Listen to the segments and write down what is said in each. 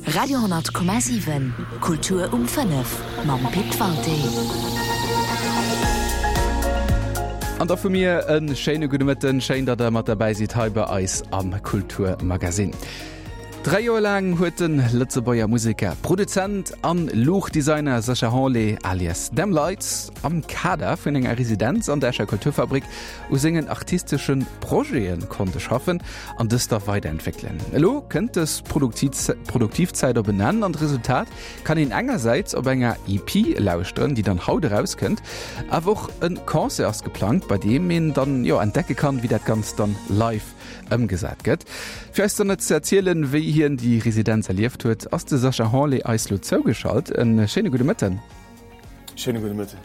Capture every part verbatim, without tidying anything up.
Radio honnert Komma siwen, Kultur um fënnef mam Pit Walté. An da vu mir e schéine gudde Mëtten. Schéin, datt der mat derbäi sidd hei bei eis am Kulturmagasinn. Dräi Joer laang huet de Lëtzebuerger Museker, Produzent an Luuchtdesigner Sacha Hanlé alias Them Lights am Kader vun enger Residenz an der Escher Kulturfabrik u sengen artistesche Projete konnte schaffen an dës da weiderentwéckelen. Elo kënnt dës produktiv Zäit op en Enn an d'Resultat kann een engersäits op enger E P lauschteren, déi dann haut erauskënnt, awer och e Concert ass geplangt, bei deem een dann jo entdecke kann, wéi dat Ganzt dann live ëmgesat gëtt. Fir eis dann ze erzielen, wéi hien déi Residenz erlieft huet, ass de Sacha Hanlé eis lo zougeschalt. E schéine gudde Mëtten. Schéine gudde Mëtten.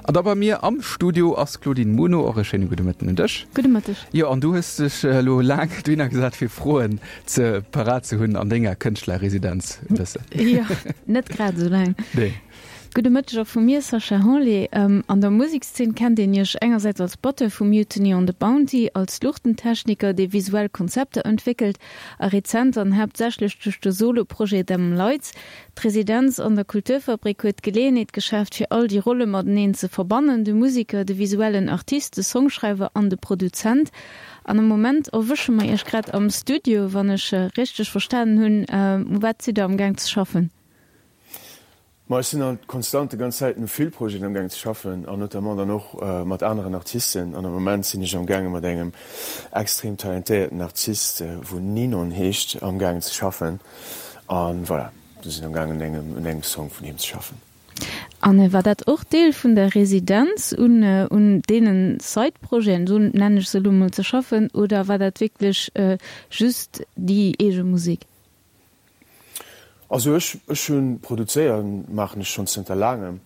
An da bei mir am Studio ass d'Claudine Muno, och e schéine gudde Mëtten un dech. Gudde Mëtteg. Jo, an du hues dech elo laang dohinner gesat, fir Froen ze parat ze hunn an denger Kënschtlerresidenz e bëssen. Jo, net grad esou laang. Nee. Gudde Mëtteg och vu mir, Sacha Hanlé. An der Musekszeen kennt een Iech engersäits als Batteur vu Mutiny on the Bounty, als Luuchtentechniker, dee visuell Konzepter entwéckelt, a rezent an haaptsächlech duerch de Solo-Projet Them Lights. D'Residenz an der Kulturfabrik huet d'Geleeënheet geschaaft, fir all déi Rolle mateneen ze verbannen, de Museker, de visuellen Artist, de Songschreiwer an de Produzent. An am Moment erwësche mer Iech grad am Studio, wann ech richteg verstanen hunn. U wat sidd Der amgaang ze schaffen? Ma ech sinn halt konstant déi ganz Zäit u vill Projeten amgaang ze schaffen an notamment dann och mat aneren Artisten. An am Moment sinn ech amgaange mat engem extrem talentéierten Artist, wou Ninon heescht, amgaangen ze schaffen. An voilà, do sinn amgaangen un engem un engem Song vun him ze schaffen. An war dat och Deel vun der Residenz, un un deenen Side-Projeten, esou nennen ech se elo mol, ze schaffen oder war dat wierklech just déi eege Musek? Also ech ech hunn produzéieren maachen ech schonn zënter laangem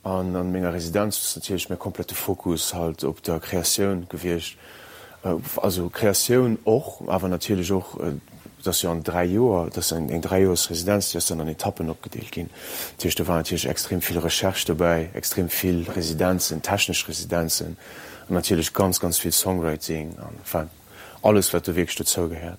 an an menger Residenz ass natierlech mäi komplette Fokus halt op der Kreatioun gewiescht. Also Kreatioun och, awer natierlech och, et ass jo an dräi Joer, et ass eng eng Dräijoersresidenz, déi ass dann an Etappen opgedeelt ginn. Dat heescht do war natierlech extrem vill Recherche dobäi, extrem vill Residenzen, technesch Residenzen an natierlech ganz ganz vill Songwriting an enfin alles wat do wierklech dozou gehéiert.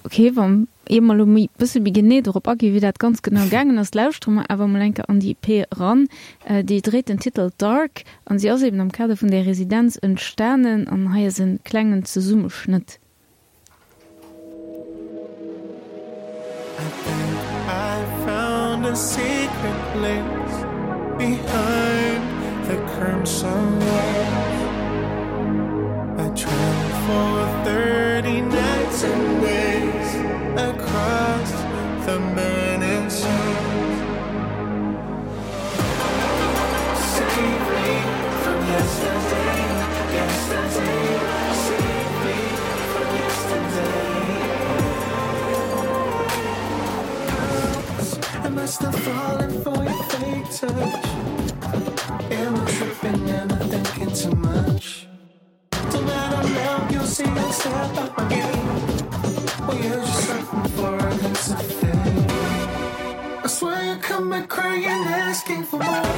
Ok, wa ier mer elo méi bësse méi genee dorop aginn, wéi dat ganz genau gaangen ass, lauschtere mer awer mol eng Kéier an déi E P eran. Déi dréit den Titel Dark an si ass eben am Kader vun där Residenz entstanen an hei ass e klengen Zesummeschnëtt. I think I found a secret place behind the crimson walls. I traveled for thirty nights and days across the burning sands. Save me from yesterday, yesterday. Save me from yesterday. Am I still falling for your fake touch? Am I tripping? Am I thinking too much? Tonight I'm out, you'll see I'll step up my game. Well, you're just something for a glimpse of fame. I swear you come back crying, asking for more.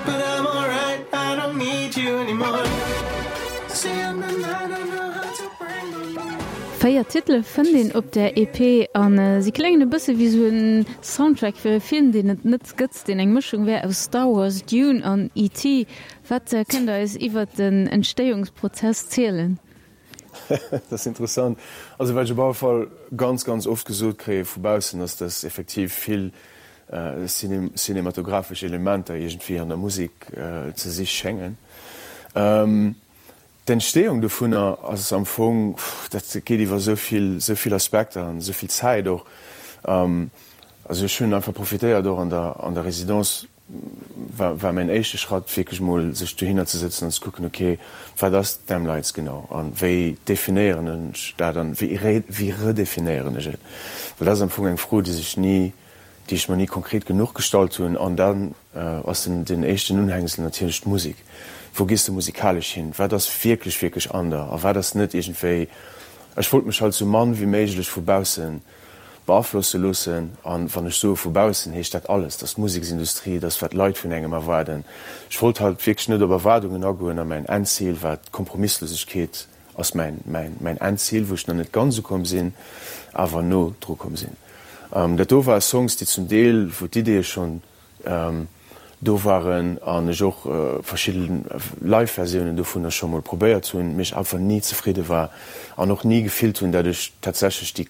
But I'm alright, I don't need you anymore. See, I'm the night, I know how to bring the moon. Véier Titele fënnt een op der E P an si kléngen e bësse wéi sou en Soundtrack fir e Film, deen et net gëtt, deen eng Mëschung wär aus Star Wars, Dune an E T. Wat kënnt Der eis iwwert den Entstéiungsprozess zielen? Dat ass interessant. Also wat ech op alle Fall ganz, ganz oft gesot kréie vu baussen, ass, dass effektiv vill cinematographesch Elementer iergendwéi an der Musek ze si schéngen. D'Entstehung dovunner ass am Fong, dat geet iwwer esou vill, esou vill Aspekter an esou vill Zäit och. Also ech hunn einfach profitéiert och an der, an der Résidence war, war mäin éischte Schratt wierklech mol sech dohinner ze sëtzen an ze kucken, okay, wat ass Them Lights genau an wéi definéieren ech dat an wéi, wéi redefinéieren ech et? Well dat ass am Fong eng Fro, déi sech ni, déi ech mer ni konkret genuch gestallt hunn. An dann ass den, den éischten Unhängsel natierlech d'Musek. Wou gees de musikalesch hin? Wat ass wierklech, wierklech an der a wat ass net iergendwéi? Ech wollt mech halt sou mann wéi méiglech vu bausse beaflosse loossen. An wann ech soe vu baussen, heescht dat alles, dass d'Museksindustrie, dass wat d'Leit vun engem erwaarden. Ech wollt halt wierklech net op Erwaardungen agoen a mäin Endzil war d'Kompromisslosegkeet ass mäin, mäin, mäin Endzil, wou ech nach net ganz ukomm sinn, awer no dru komm sinn. Dat do ware Songs, déi zum Deel, wou d'Ideeë schonn do waren an ech och verschidde Live-Versiounen dovunner scho mol probéiert hunn, mee ech einfach ni zefridde war an och ni gefillt hunn, dat ech tatsächlech déi,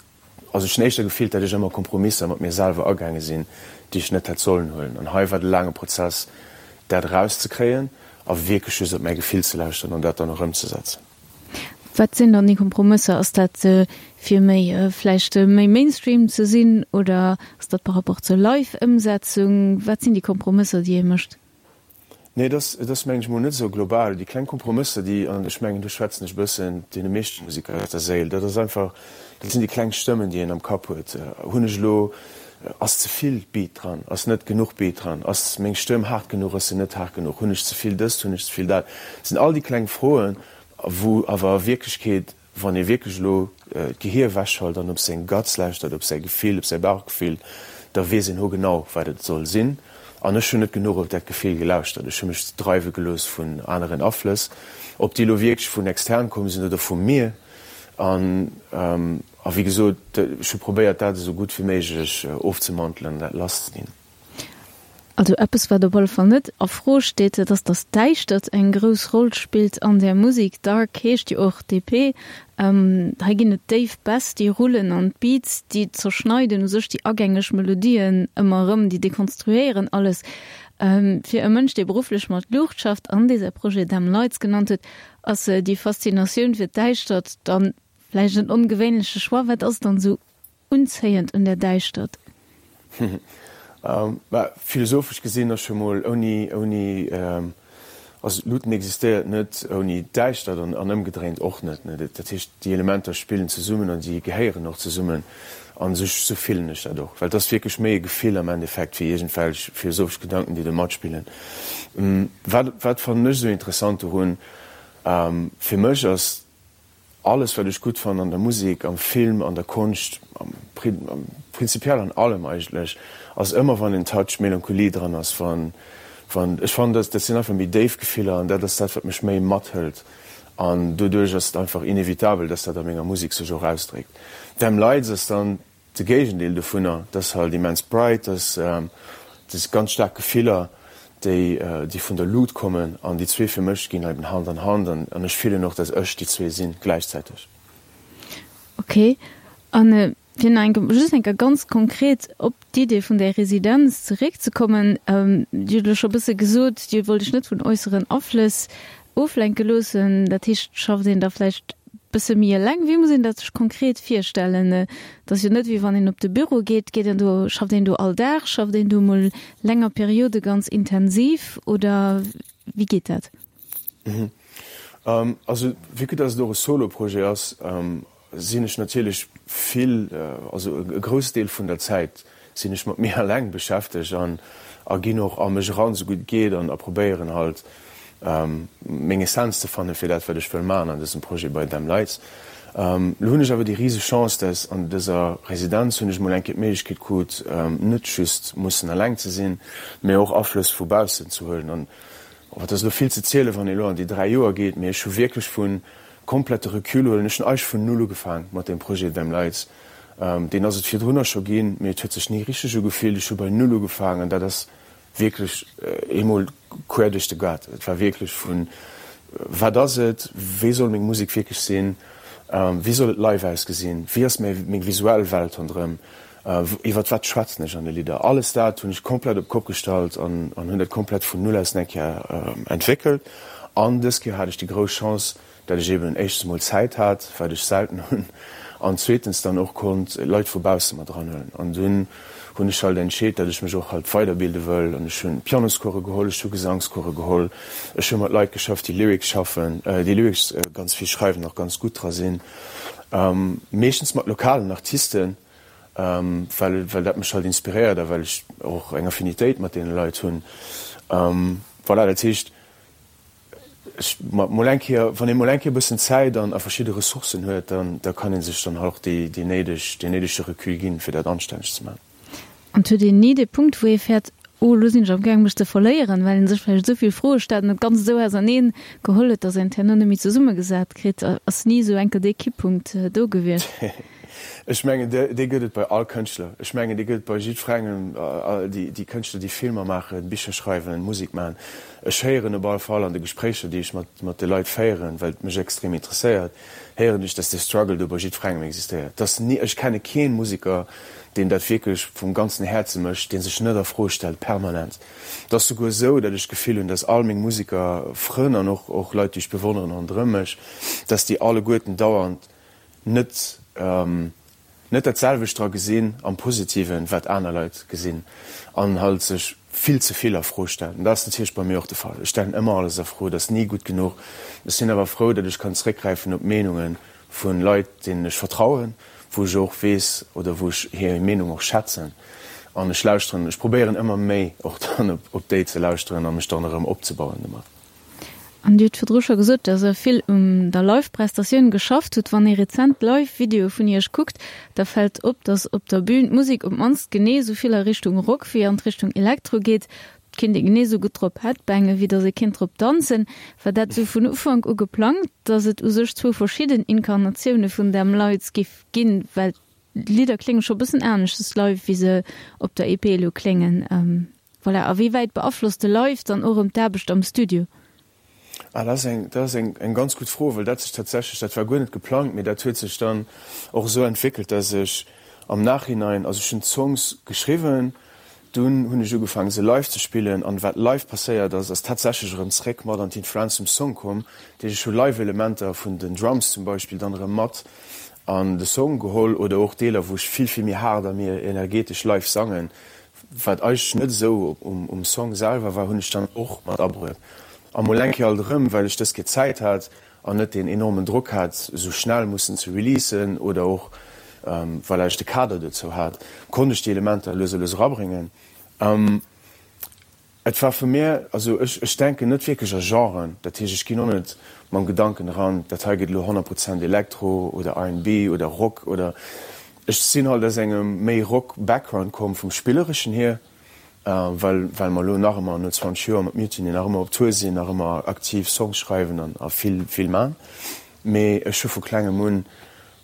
also ech hunn éischter gefillt, dat ech ëmmer Kompromisser mat mir selwer agaange sinn, déi ech net hätt sollen huelen. An hei war de laange Prozess, dat erauszekréien a wierklech just op mäi Gefill ze lauschteren an dat dann och ëmzesetzen. Wat sinn dann déi Kompromësser? Ass dat fir méi vläicht méi Mainstream ze sinn oder ass dat par rapport zur Live-Ëmsetzung? Wat sinn déi Kompromësser, déi ee mécht? Nee, et ass, et ass mengen ech mol net esou global. Déi kleng Kompromësser, déi, an ech mengen do schwätzen ech e bëssen deene meeschte Museker aus der Séil, dat ass einfach, dat sinn déi kleng Stëmmen, déi een am Kapp huet. Hunn ech elo, ass ze vill Beat dran, ass net genuch Beat dran, ass meng Stëmm haart genuch, ass se net haart genuch, hunn ech ze vill dëst, hunn ech ze vill dat? Dat sinn all déi kleng Froen, Wou awer a Wierklechkeet, wann ee wierklech elo d'Gehier ewechschalt an op seng Guts lauschtert, op säi Gefill, op säi Bauchgefill, da weess een hogenau, wat et soll sinn. An ech hunn net genuch op dat Gefill gelauschtert. Ech hu mech dreiwe gelooss vun aneren Aflëss, ob déi elo wierklech vun extern komm sinn oder vu mir. An, a wéi gesot, ech hu probéiert, dat esou gutt wéi méiglech ofzemantelen an dat lasszeginn. Also eppes wat op alle Fall net a Fro steet, dat ass, datt d'Däischtert eng grouss Roll spillt an där Musek. Dark heescht jo och D P. Hei ginn et déif Bäss, déi rullen an d'Beats, déi zerschneiden u sech déi agängeg Melodien ëmmer erëm, déi dekonstruéieren alles. Fir e Mënsch, dee berufflech mat Luucht schafft an dee säi Projet Them Lights genannt huet, ass déi Faszinatioun fir d'Däischtert dann vläicht en ongewéinleche Choix. Wat ass dann esou unzéiend un der Däischtert? Mä philosophesch gesinn ass scho mol ouni, ouni, also Luuten existéiert net ouni Däischtert an an ëmgedréint och net. Dat heescht, déi Elementer spillen zesummen an déi gehéieren och zesummen an esou esou fillen ech dat och, well et ass wierklech méi e Gefill am Endeffekt wéi iergendwelch philosophesch Gedanken, déi do matspillen. Wat wat fannen ech esou interessant dorun? Fir mech ass Alles wat ech gutt fannen an der Musek, am Film, an der Konscht, prinzipiell an allem eigentlech, ass ëmmer wann en Touch Melancholie dran ass, wann, wann, ech fannen dat, dat sinn einfach méi déif Gefiller an dat ass dat wat mech méi mathëlt an doduerch ass et einfach inevitabel, dass dat a menger Musek sech och ausdréckt. Them Lights ass dann de Géigendeel dovunner, dat ass halt immens bright, dat ass, dat si ganz staark Gefiller, déi déi vun der Lut kommen an déi zwee fir mech ginn eben Hand an Hand an an ech fillen och, dass ech déi zwee sinn gläichzäiteg. Ok, an fir nach eng Kéier, just eng Kéier ganz konkret op d'Idee vun där Residenz zeréckzekommen, Dir hutt elo scho e bësse gesot, Dir wollt Iech net vun äusseren Aflëss oflenke loossen. Dat heescht, schafft een da vläicht Bësse méi eleng? Wéi muss een dat sech konkret virstellen? Et ass jo net wéi wann een op de Büro geet. Geet een do, schafft een do all Dag, schafft een do mol länger Periode ganz intensiv oder wéi geet dat? Also vue que dass et och e Solo-Projet ass, sinn ech natierlech vill, also e Groussdeel vun der Zäit sinn ech mat mir eleng beschäftegt an a ginn och a mech eran, esou gutt et geet an a probéieren halt meng Essenz ze fanne fir dat wat ech wëll maachen an dësem Projet bei Them Lights. Lo hunn ech awer déi rise Chance, dass an dëser Residenz hunn ech mol eng Kéier d'Méiglechkeet krut, net just mussen eleng ze sinn, mee och Aflëss vu baussen ze huelen. An et ass elo vill ze zielen, wann ee elo an déi dräi Joer geet, mee ech hu wierklech vu komplette Recul huelen. Ech hunn eigentlech vun null ugefaang mat deem Projet Them Lights. Deen ass et virdrunner scho ginn, mee et huet sech ni richteg ugefillt. Ech hu bei null ugefaang an dat ass wierklech eemol quer duerch de Gaart. Et war wierklech vun, Wat ass et? Wéi soll meng Musek wierklech sinn? Wéi soll et live ausgesinn? Wéi ass meng visuell Welt ronderëm? Iwwert wat schwätzen ech an de Lidder? Alles dat hunn ech komplett op d'Kopp gestallt an hunn dat komplett vun null aus eng Kéier entwéckelt. An dës Kéier hat ech déi grouss Chance, dat ech eben éischtens emol Zäit hat, wat ech selten hunn, an zweetens dann och konnt Leit vu bausse mat eranhuelen. An dunn hunn ech halt entscheet, dat ech mech och halt weiderbilde wëll, an ech hunn Pianoscourse geholl, ech hu Gesangscourse geholl, ech hu mat Leit geschafft, déi Lyrics schaffen, déi Lyrics ganz vill schreiwen, och ganz gutt dra sinn, meeschtens mat lokalen Artisten, well well dat mech halt inspiréiert a well ech och eng Affinitéit mat deene Leit hunn. Voilà, dat heescht, Ech, mol eng Kéier, wann ee mol eng Kéier e bëssen Zäit an a verschidde Ressourcen huet, dann, da kann ee sech dann och déi, déi néideg, deen néidege Recul ginn, fir dat anstänneg ze maachen. An et huet een ni dee Punkt, wou ee fäert, oh, elo sinn ech amgaang mech ze verléieren, well ee sech vläicht esou vill Froe stellt an et Ganzt esou auserneen geholl huet, datt een et herno net méi zesummegesat kritt. Ass ni esou enker dee Kipppunkt do gewiescht? Ech mengen, dee gëtt et bei all Kënschtler. Ech mengen, dee gëtt et bei jiddwerengem, déi, déi Kënschtler, déi Filmer maachen, Bicher schreiwen, Musek maachen. Ech héieren op alle Fall an de Gespréicher, déi ech mat, mat de Leit féieren, well et mech extrem interesséiert, héieren ech, dass dee Struggle do bei jiddwerengem existéiert. Dass ni, ech kenne kee Museker, deen dat wierklech vum ganzen Häerze mécht, dee sech net a Fro stellt, permanent. Et ass souguer esou, datt ech d'Gefill hunn, datt all meng Museker, Frënn an och, och Leit, déi ech bewonneren ronderëm mech, datt déi alleguerten dauernd net, net dat selwecht dra gesinn, am Positiven, wat aner Leit gesinn an halt sech vill ze vill a Fro stellen. An dat ass natierlech bei mir och de Fall. Ech stellen ëmmer alles a Fro, et ass ni gutt genuch. Ech sinn awer frou, datt ech kann zréckgräifen op Meenunge vu Leit, deenen ech vertrauen, wou ech och weess oder wou ech hir Meenung och schätzen. An ech lauschteren, ech probéieren ëmmer méi och dann op déi ze lauschteren a mech dann erëm opzebauen domat. An Dir hutt virdru scho gesot, dass Der vill un der Live-Prestatioun geschafft hutt. Wann ee rezent Live-Videoe vun Iech kuckt, da fält op, dass op der Bün d'Musek op d'mannst genee esou vill a Richtung Rock wéi an d'Richtung Elektro geet. Et kéint ee genee esou gutt drop headbangen, wéi dass ee kéint drop danzen. War dat esou vun Ufank u geplangt, dass et u sech zwou verschidden Inkarnatioune vun Them Lights giff ginn? Well d'Lidder klénge scho bëssen aneschters live, wéi se op der E P elo kléngen. Voilà, a wéi wäit beaflosst de Live dann och erëm d'Aarbecht am Studio? Ah, dat ass eng, dat ass eng, eng ganz gutt Fro, well dat sech tatsächlech, dat war guer net geplangt, mee dat huet sech dann och esou entwéckelt, dass ech am Nachhinein, also ech hunn d'Songs geschriwwen, dunn hunn ech ugefaangen se live ze spillen an wat live passéiert ass, ass tatsächlech erëm zréck mat an d'Influenz vum Song komm. Dat heescht, ech hu live Elementer vun den Drums zum Beispill dann erëm mat an de Song geholl oder och Deeler, wou ech vill, vill méi haart a méi energetesch live sangen, wat eigentlech net esou um Song selwer war, hunn ech dann och mat abruet. A mol eng Kéier alt erëm, well ech dës Kéier Zäit hat an net deen enormen Drock hat, esou schnell mussen ze releasen oder och well ech de Kader dozou hat, konnt ech déi Elementer lues a lues erabréngen. Et war vu mir, also ech, ech denken net wierklech a Genren, dat heescht, ech ginn och net mam Gedanken eran, dat hei gëtt elo honnert Prozent Elektro oder R and B oder Rock oder, ech sinn halt aus engem méi Rock-Background komm vum Spillereschen hier, well, well mer elo nach ëmmer no zwanzeg Joer mat Mutiny nach ëmmer op Tour sinn, nach ëmmer aktiv Songs schreiwen an a vill, vill man. Mee ech hu vu klengem un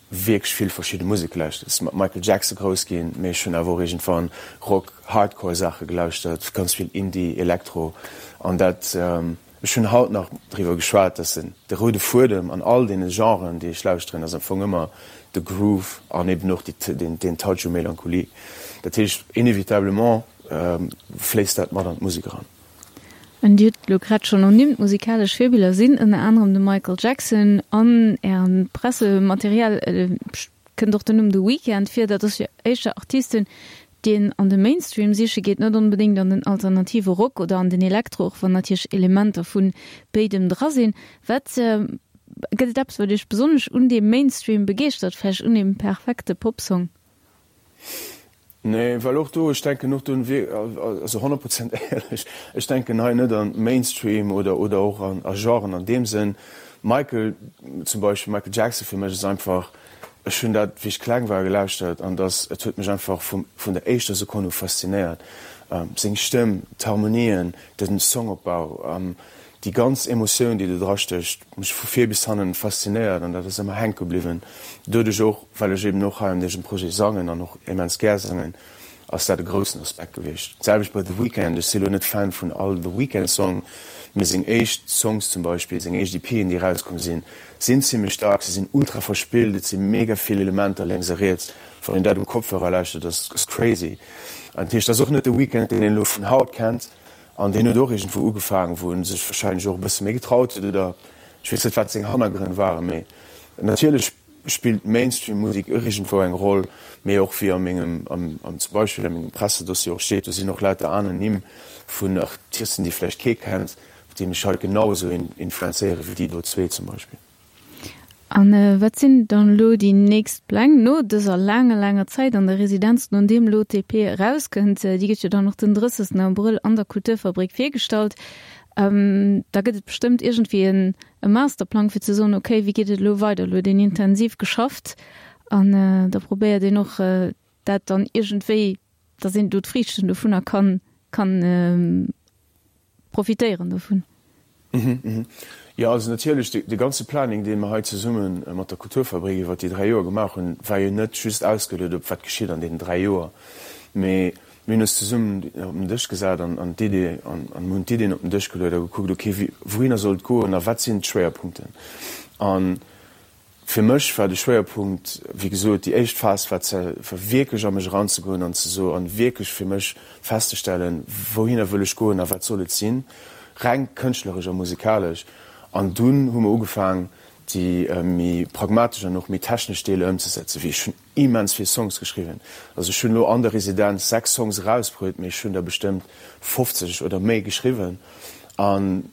wierklech vill verschidde Musek gelauschtert. Ech si mat Michael Jackson grouss ginn, mee ech hunn awer och iergendwann Rock, Hardcore Saache gelauschtert, ganz vill Indie, Elektro an dat, ech hunn haut nach driwwer geschwat, dass den, de roude Fuedem an all deene Genren, déi ech lauschteren, ass am Fong ëmmer de Groove an eben och déi, deen, deen Touch u Melancholie. Dat heescht, inevitablement fléisst dat mat an d'Musek eran. An Dir hutt elo grad schonn ernimmt, musikalesch Virbiller sinn ënner anerem de Michael Jackson. An Ärem Pressematerial kënnt och den Numm The Weeknd vir. Dat ass jo éischter Artisten, déi een an de Mainstream siche geet, net onbedéngt an den alternative Rock oder an den Elektro, och wann natierlech Elementer vu béidem dra sinn. Wat gëtt et eppes, wat Iech besonnesch un deem Mainstream begeeschtert, vläicht un deem perfekte Popsong? Nee, well och do, ech denken och do, also honnert Prozent éierlech, ech denken hei net an Mainstream oder, oder och an a Genren an deem Sënn. Michael zum Beispill, Michael Jackson fir mech ass einfach, ech hunn dat wéi ech kleng war gelauschtert an dass, et huet mech einfach vum, vun der éischter Sekonn u faszinéiert. Seng Stëmm, d'Harmonien, den Songopbau, déi ganz Emotioun, déi do drastécht, mech vu vir bis hannen faszinéiert an dat ass ëmmer hänke bliwwen. Doduerch och, well ech eben och hei an dësem Projet sangen an och immens gär sangen, ass dat e groussen Aspekt gewiescht. D'selwecht bei The Weeknd, ech si lo net Fan vun all The Weeknd Song, mee seng éischt Songs zum Beispill, seng éischt EPen, déi erauskomm sinn, sinn zimmlech dark, se sinn ultra verspillt, et si mega vill Elementer lénks a riets, wann een dat um Kopfhörer lauschtert, ass ass crazy. An dat heescht, dat ass och net de Weeknd, deen een elo vun haut kennt. An deen huet och iergendwou ugefaangen, wou en sech warscheinlech och e bësse méi getraut huet, oder ech weess net, wat seng Hannergrënn waren. Mee natierlech spillt Mainstream-Musek och iergendwou eng Roll, mee och wéi a mengem, am zum Beispill a mengem Pressedossier och steet, do sinn och lauter aner Nimm vun Artisten, déi vläicht kee kennt, déi mech haut genau esou influenzéiere wéi déi do zwee zum Beispill. A wat sinn dann elo déi nächst Pläng no dëser laanger, laanger Zäit an der Residenz, no deem elo d'E P erauskënnt? Déi gëtt jo dann och den drëssegsten Abrëll an der Kulturfabrik virgestallt. Da gëtt et bestëmmt iergendwéi en e Masterplang fir ze soen, okay, wéi geet et elo weider? Elo huet een intensiv geschafft an da probéiert een och dat dann iergendwéi, datt een do d'Friichten dovunner kann, kann profitéieren dovun. Jo, also natierlech, de ganze Planning, dee mer hei zesumme mat der Kulturfabrik iwwert déi dräi Joer gemaach hunn, war jo net just ausgeluet op wat geschitt an deenen dräi Joer, mee mir hunn eis zesummen op den Dësch gesat an an d'Idee an an hunn d'Ideen op den Dësch geluet a gekuckt, okay, wéi wouhinner soll et goen a wat sinn d'Schwéierpunkten. A fir mech war de Schwéierpunkt, wéi gesot, déi éischt Phas war ze war wierklech a mech eranzegoen an ze so an wierklech fir mech festzestellen, wouhinner wëll ech goen a wat soll et sinn, reng kënschtleresch a musikalesch. An dunn hu mer ugefaang, déi méi pragmatesch an och méi technesch Deeler ëmzesetzen, wéi ech hunn immens vill Songs geschriwwen. Also ech hunn elo an der Residenz sechs Songs erausbruet, mee ech hunn der bestëmmt fofzeg oder méi geschriwwen. An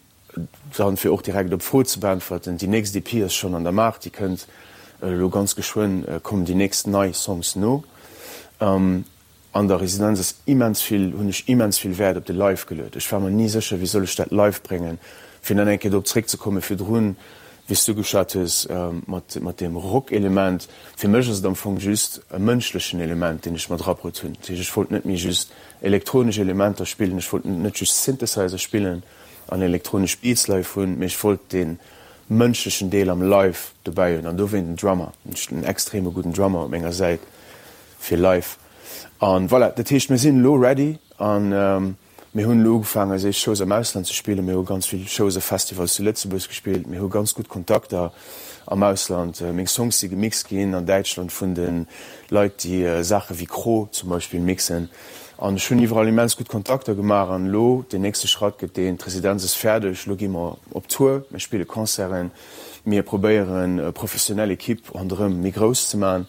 dann, fir och direkt op d'Fro ze beäntwerten, déi nächst E P ass schonn an der Maach, déi kënnt elo ganz geschwënn, kommen déi nächst nei Songs no. An der Residenz ass immens vill, hunn ech immens vill Wäert op de Live geluet. Ech war mer ni sécher, wéi soll ech dat live bréngen, fir dann eng Kéier drop zréckzekommen, virdrun, wéi s du geschwat hues, mat, mat deem Rock-Element. Fir mech ass et am Fong just e mënschlechen Element, deen ech mat erabruet hunn. Dat heescht, ech wollt net méi just elektronesch Elementer spillen, ech wollt net just Synthesizer spillen an elektronesch Beats live hunn, mee ech wollt dee mënschlechen Deel am Live dobäi hunn an dowéint en Drummer. Ech hunn en extreme gudden Drummer op menger Säit fir live. An voilà, dat heescht mir sinn elo ready an mir hunn elo ugefaangen eis éischt Shows am Ausland ze spillen. Mir hu ganz vill Shows a Festivals zu Lëtzebuerg gespillt. Mir hu ganz gutt Kontakter am Ausland. Meng Songs si gemixt ginn an Däitschland vun de Leit déi Saache wéi Cro zum Beispill mixen. An ech hunn iwwerall immens gutt Kontakter gemaach. An elo deen nächste Schratt gëtt deen, d'Residenz ass fäerdeg, elo gi mer op Tour, mir spille Concerten, mir probéieren e professionell Ekipp ronderëm méi grouss ze man.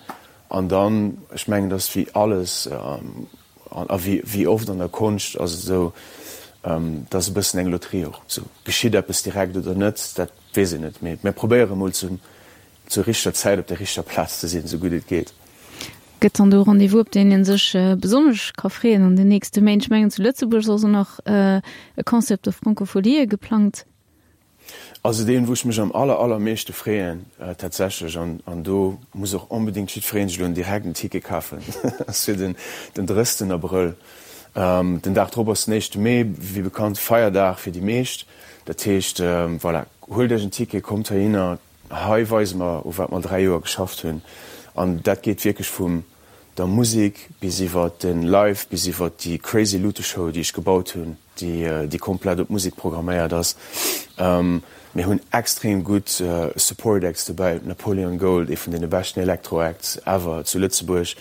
An dann, ech mengen, et ass wéi alles a wéi oft an der Konscht ass et esou, et ass e bëssen eng Lotterie och. Esou, geschitt eppes direkt oder net, dat weess een net. Mee mir probéiere mol zur richteger Zäit op der richteger Plaz ze sinn, esou gutt et geet. Gëtt dann do e Rendez-vous, op deen ee sech besonnesch ka freeën an den nächste Méint? Ech mengen, zu Lëtzebuerg ass och nach e Concert op der Francofolië geplangt. Also deen wou ech mech am aller aller meeschte freeën tatsächlech, an an do muss och onbedingt jiddfereen sech elo direkt en Ticket kafen, ass fir den den drëssten Abrëll. Den Dag drop ass den éischte Mee, wéi bekannt Feierdag fir déi meescht. Dat heescht, voilà, huelt iech en Ticket, kommt heihinner, hei weise mer u wat mer dräi Joer geschafft hunn. An dat geet wierklech vum der Musek bis iwwert den Live, bis iwwert déi crazy Luteshow déi ech gebaut hunn, déi déi komplett op Musek programméiert ass. Mir hunn extrem gutt Support Acts dobäi, Napoleon Gold, ee vun deene beschten Electro Acts ever zu Lëtzebuerg,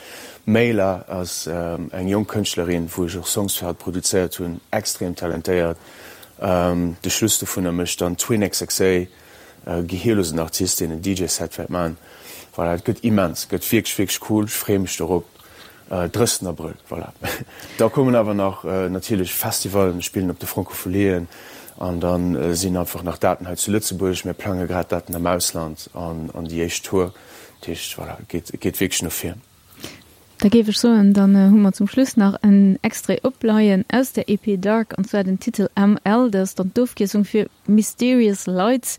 Mayla ass eng jonk Kënschtlerin, wou ech och Songs fir hatt produzéiert hunn, extrem talentéiert. De Schluss dovunner mécht dann Twin X X A, gehirlosen Artist, deen en D J Set wäert man. Voilà, et gëtt immens, gëtt wierklech, wierklech cool, ech freeë mech dorop. Drëssten Abrëll, voilà. Da kommen awer nach natierlech Festivallen, mir spillen op de Francofolien an da sinn einfach nach Daten hei zu Lëtzebuerg. Mir plange grad Daten am Ausland an an déi éischt Tour. Dat heescht, voilà, et geet, et geet wierklech no vir. Da géif ech soen, dann hu mer zum Schluss nach en Extrait opleien aus der E P Dark, an zwar den Titel M L, dat ass dann d'Ofkierzung fir Mysterious Lights,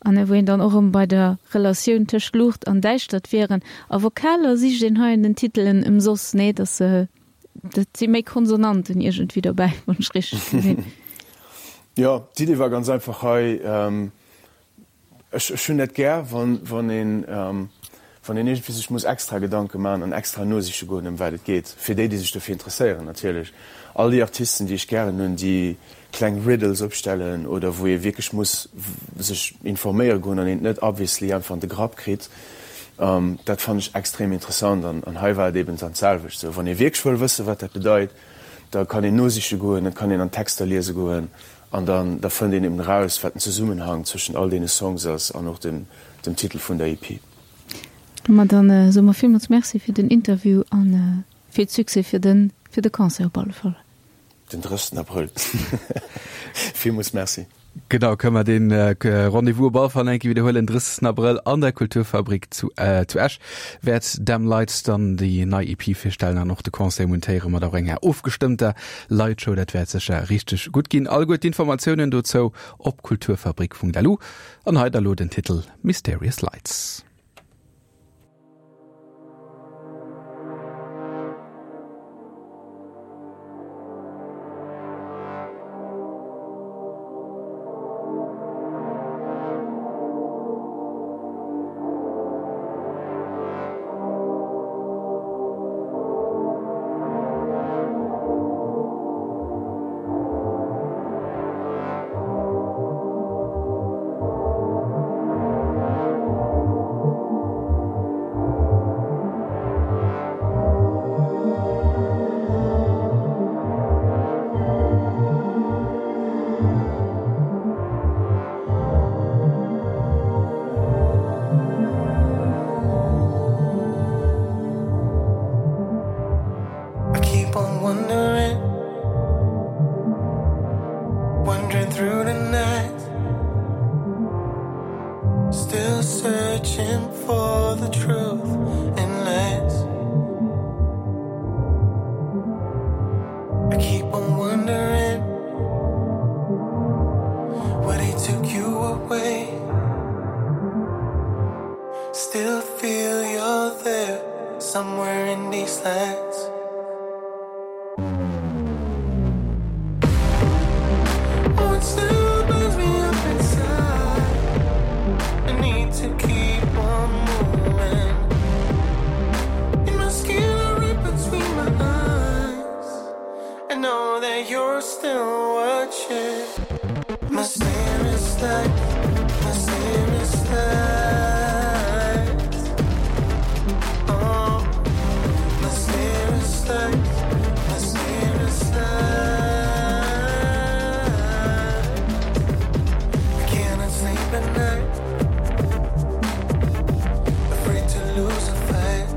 an wou een dann och erëm bei der Relatioun tëscht Luucht an Däischtert wieren. A Vokaler sicht een hei an den Titelen ëmsoss, nee, dass dat si méi Konsonanten iergendwéi dobäi, wann ech richteg gesinn. Jo, d'Idee war ganz einfach hei, ech ech hunn dat gär, wann wann een wann een iergendwéi sech muss extra Gedanke man an extra nosiche goen, ëm wat et geet, fir déi, déi sech dofir interesséieren natierlech. All déi Artisten, déi ech gären hunn, déi kleng Riddles opstellen oder wou ee wierklech muss sech informéiere goen an een et net obviously einfach an de Grapp kritt, dat fannen ech extrem interessant an an hei war et eben dann d'selwecht esou. Wann ee wierklech wëll wësse wat dat bedeit, da kann een nosiche goen, da kann een an d'Texter liese goen an dann da fënnt een eben eraus, wat den Zesummenhang zwëschen all deene Songs ass an och dem dem Titel vun der E P. Ma dann soe mer villmools Merci fir den Interview an vill Succès fir den fir de Concert op alle Fall. Den drëssten Abrëll. Villmools Merci. Genau, kënne mer dee Rendez-vous op alle Fall eng Kéier widderhuelen, drëssigsten Abrëll an der Kulturfabrik zu äh, zu Esch wäert Them Lights dann déi nei E P virstellen an och de Concert montéiere mat och enger ofgestëmmter Lightshow. Dat wäert sécher richteg gutt ginn. Alleguer d'Informatiounen dozou op kulturfabrik Punkt L U an hei da lo den Titel Mysterious Lights. on wondering Wandering through the night Still searching for the truth in light I keep on wondering Where they took you away Still feel you're there Somewhere in these lands Oh, it still burns me up inside I need to keep on moving In my skin, right between my eyes I know that you're still watching Mysterious light, mysterious light Oh, mysterious light, mysterious light I cannot sleep at night Afraid to lose a fight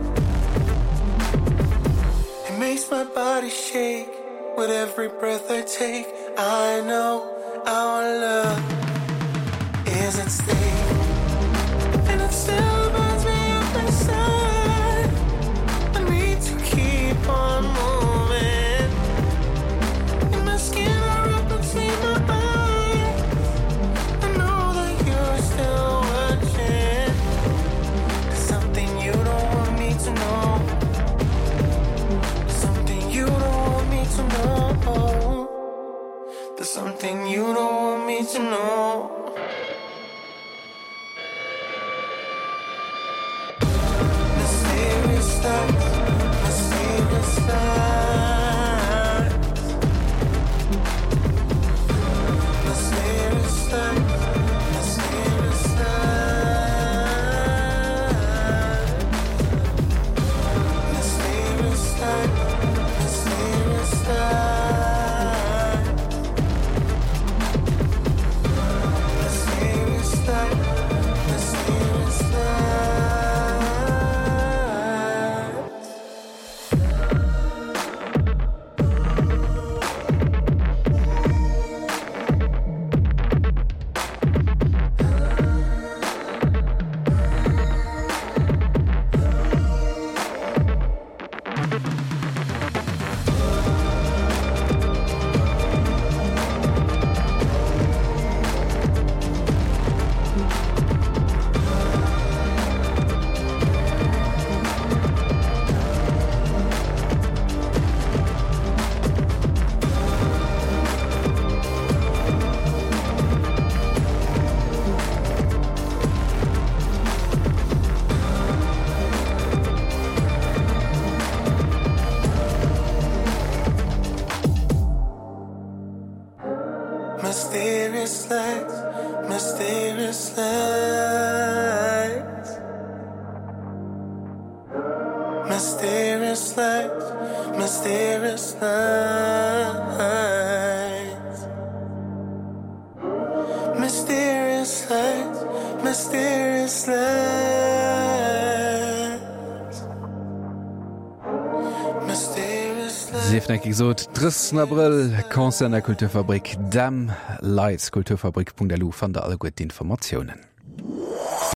It makes my body shake With every breath I take I know our love is at stake And it still burns me up inside I need to keep on moving In my skin or up between my eyes I know that you're still watching There's something you don't want me to know There's something you don't want me to know There's something you don't want me to know Mysterious lights, mysterious lights Mysterious lights, mysterious lights Mysterious lights, mysterious lights Mysterious light, mysterious light Mysterious lights, mysterious lights Mysterious lights, mysterious lights Mysterious lights, mysterious lights Mysterious lights Sief nach gesot drëssigsten Abrëll Concert an der Kulturfabrik Dem Lights kulturfabrik.lu fannt der alleguer d'Informatiounen.